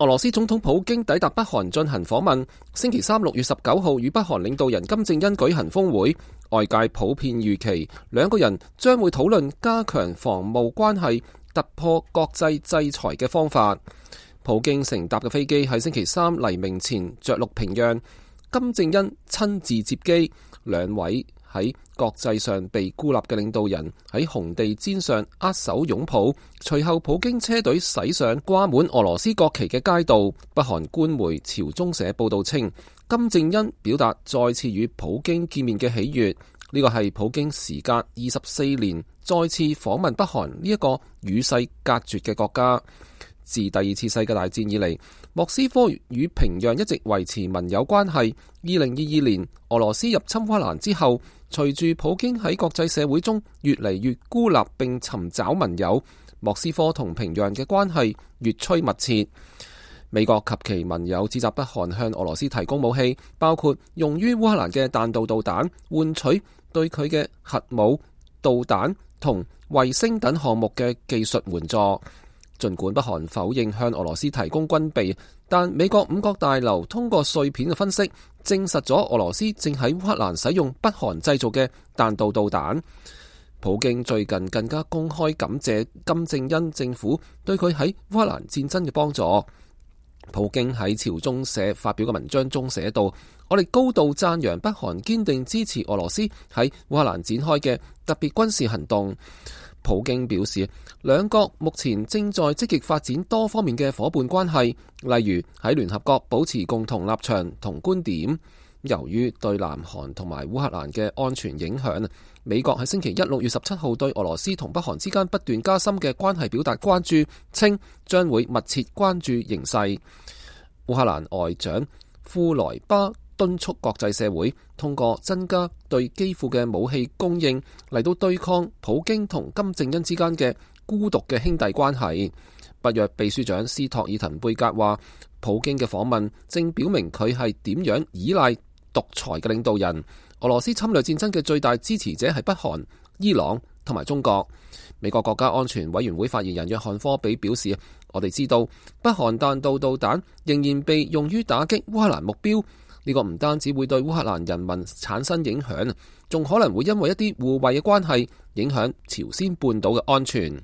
俄羅斯總統普京抵達北韓進行訪問，星期三6月19號與北韓領導人金正恩舉行峰會，外界普遍預期兩個人將會討論加強防務關係、突破國際制裁嘅方法。普京乘搭嘅飛機喺星期三黎明前着陸平壤，金正恩親自接機，兩位喺國際上被孤立嘅領導人喺紅地毯上握手擁抱，隨後普京車隊駛上掛滿俄羅斯國旗嘅街道。北韓官媒朝中社報道稱，金正恩表達再次與普京見面嘅喜悅，呢個係普京時隔24年再次訪問北韓呢一個與世隔絕嘅國家。自第二次世界大戰以嚟，莫斯科與平壤一直維持盟友關係。2022年俄羅斯入侵烏克蘭之後，隨住普京喺國際社會中越嚟越孤立並尋找盟友，莫斯科同平壤嘅關係越趨密切。美國及其盟友指責北韓向俄羅斯提供武器，包括用於烏克蘭嘅彈道導彈，換取對佢嘅核武、導彈同衛星等項目嘅技術援助。儘管北韓否認向俄羅斯提供軍備，但美國五角大樓通過碎片嘅分析，證實咗俄羅斯正喺烏克蘭使用北韓製造嘅彈道導彈。普京最近更加公開感謝金正恩政府對佢喺烏克蘭戰爭嘅幫助。普京喺朝中社發表嘅文章中寫道：我哋高度讚揚北韓堅定支持俄羅斯喺烏克蘭展開嘅特別軍事行動。普京表示，兩國目前正在積極發展多方面嘅夥伴關係，例如喺聯合國保持共同立場同觀點。由於對南韓同埋烏克蘭嘅安全影響，美國喺星期一6月17號對俄羅斯同北韓之間不斷加深嘅關係表達關注，稱將會密切關注形勢。烏克蘭外長庫萊巴敦促國際社會通過增加對基輔嘅武器供應嚟到對抗普京同金正恩之間嘅孤獨嘅兄弟關係。北約秘書長斯托爾滕貝格話，普京嘅訪問正表明佢係點樣依賴獨裁嘅領導人。俄羅斯侵略戰爭嘅最大支持者係北韓、伊朗同埋中國。美國國家安全委員會發言人約翰科比表示，我哋知道北韓彈道導彈仍然被用於打擊烏克蘭目標。呢個唔單止會對烏克蘭人民產生影響，仲可能會因為一啲互惠嘅關係影響朝鮮半島嘅安全。